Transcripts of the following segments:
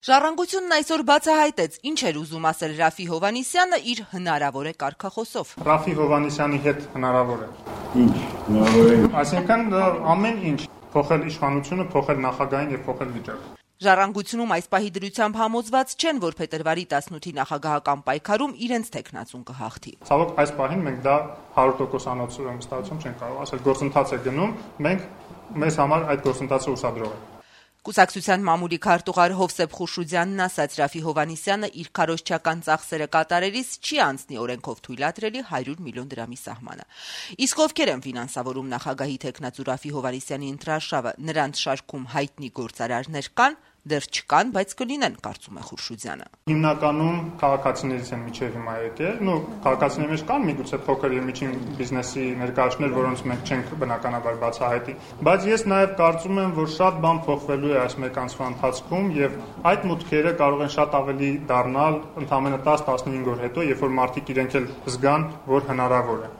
Ժառանգությունն այսօր բացահայտեց, ինչ էր ուզում ասել Ռաֆի Հովհաննիսյանը իր հնարավոր է կարգախոսով։ Ռաֆի Հովհաննիսյանի հետ հնարավոր է։ Ինչ հնարավոր է։ Այսինքն ամեն ինչ, փոխել իշխանությունը, փոխել նախագահին եւ փոխել վիճակը։ Ժառանգությունում այս պահի դրությամբ համոզված չեն, որ փետրվարի 18-ի նախագահական պայքարում իրենց թեկնածուն կհաղթի։ Ցավոք, այս պահին մենք դա 100%-անոց վստահություն չենք կարող ասել, գործընթաց է գնում, մենք մեզ համար այդ գործընթացը ուսադրող ենք։ Կուսակցության մամուլի քարտուղար Հովսեփ Խուրշուդյանն ասաց, Ռաֆի Հովհաննիսյանը իր քարոզչական ծախսերը կատարելիս չի անցնի օրենքով թույլատրելի 100 միլիոն դրամի սահմանը։ Իսկ ովքեր են ֆինանսավորում նախագահի թեկնածու Ռաֆի Հովհաննիսյանի ընտրարշավը, նրանց շարքում հայտնի գործարարներ կան, դեռ չկան, բայց կլինեն, կարծում է Խուրշուդյանը։ Հիմնականում քաղաքացիներից են միջև հիմա եկել, քաղաքացիների մեջ կան միգուցե փոքր եւ միջին բիզնեսի ներկայացուցիչներ, որոնց մենք չենք բնականաբար բացահայտի, բայց ես նաեւ կարծում եմ, որ շատ բան փոխվելու է այս մեկ ամսվա ընթացքում եւ այդ մուտքերը կարող են շատ ավելի դառնալ ընդամենը 10-15 օր հետո, երբ որ մարդիկ իրենք էլ զգան, որ հնարավոր է։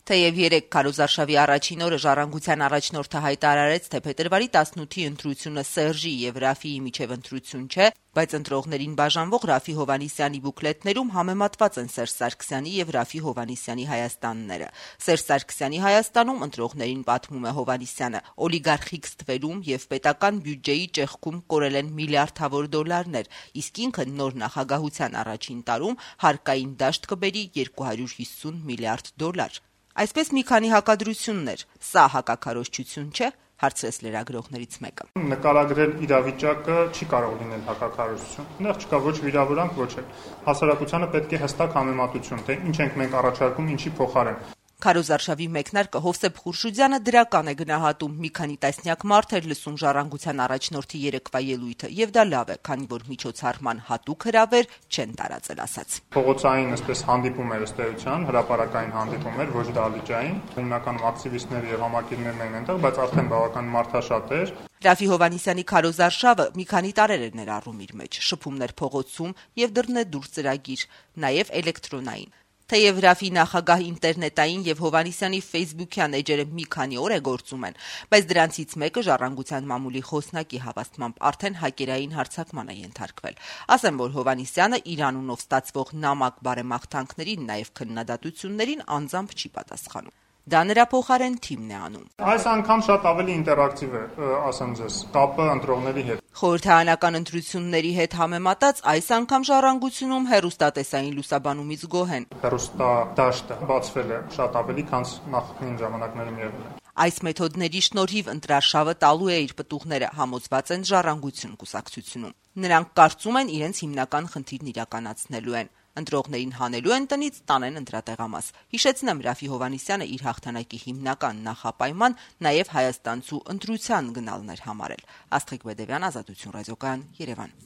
Թեև երեկ քարոզարշավի առաջին օրը Ժառանգության առաջնորդը հայտարարեց, թե փետրվարի 18-ի ընտրությունը Սերժի եւ Ռաֆիի միջև ընտրություն չէ, բայց ընտրողներին բաժանվող Ռաֆի Հովհաննիսյանի բուկլետներում համեմատված են Սերժ Սարգսյանի եւ Ռաֆի Հովհաննիսյանի Հայաստանները։ Սերժ Սարգսյանի Հայաստանում ընտրողներին պատմում է Հովհաննիսյանը, օլիգարխիկ ստվերում եւ պետական բյուջեի ճեղքում կորել են միլիարդավոր դոլարներ, իսկ ինքը նոր նախագահության առաջին տարում հարկային դաշտ կբերի 250 միլիարդ դոլար։ Այսպես մի քանի հակադրություններ, սա հակաքարոզչություն չէ, հարցրեց լրագրողներից մեկը։ Նկարագրել իրավիճակը չի կարող լինել հակաքարոզչություն։ Այնտեղ չկա ոչ վիրավորանք, ոչ էլ։ Հասարակությանը պետք է հստակ համեմատություն, թե ինչ ենք մենք առաջարկում, ինչի փոխարեն։ Քարոզարշավի մեկնարկը Հովսեփ Խուրշուդյանը դրական է գնահատում, մի քանի տասնյակ մարդ էր լսում Ժառանգության առաջնորդի երեկվա ելույթը, եւ դա լավ է, քանի որ միջոցառման հատուկ հրավեր չեն տարածել, ասաց։ Փողոցային այսպես հանդիպում էր ըստ էության, հրապարակային հանդիպում էր, ոչ դահլիճային, հիմնականում ակտիվիստներ եւ համակիրներն էին այնտեղ, բայց արդեն բավական մարդաշատ էր։ Ռաֆի Հովհաննիսյանի քարոզարշավը մի քանի տարեր էր ներառում իր մեջ, շփումներ փողոցում եւ դռնե դուրս ծրագիր, նաեւ էլեկտրոնային։ Թեև Ռաֆի նախագահ ինտերնետային եւ Հովհաննիսյանի ֆեյսբուքյան էջերը մի քանի օր է գործում են, բայց դրանցից մեկը Ժառանգության մամուլի խոսնակի հավաստմամբ արդեն հակերային հարձակման է ենթարկվել։ Ասեմ, որ Հովհաննիսյանը իր անունով ստացվող նամակ բարեմաղթանքներին, նաեւ քննադատություններին անձամբ չի պատասխանում։ Դա նրա փոխարեն թիմն է անում։ Այս անգամ շատ ավելի ինտերակտիվ է, ասեմ ձեզ, կապը ընտրողների հետ։ Խորհրդարանական ընտրությունների հետ համեմատած այս անգամ Ժառանգությունում հեռուստատեսային լուսաբանումից գոհ են։ Հեռուստադաշտը բացվել է շատ ավելի, քան նախկին ժամանակներում եղել է։ Այս մեթոդների շնորհիվ ընտրարշավը տալու է իր պտուղները, համոզված են Ժառանգություն կուսակցությունում։ Նրանք կարծում են իրենց հիմնական խնդիրն իրականացնելու են։ Ընտրողներին հանելու են տնից, տանեն ընտրատեղամաս։ Հիշեցնեմ, Ռաֆի Հովհաննիսյանը իր հաղթանակի հիմնական նախապայման նաև հայաստանցու ընտրության գնալն էր համարել։ Աստղիկ Բեդևյան, Ազատություն ռադիոկայան, Երևան։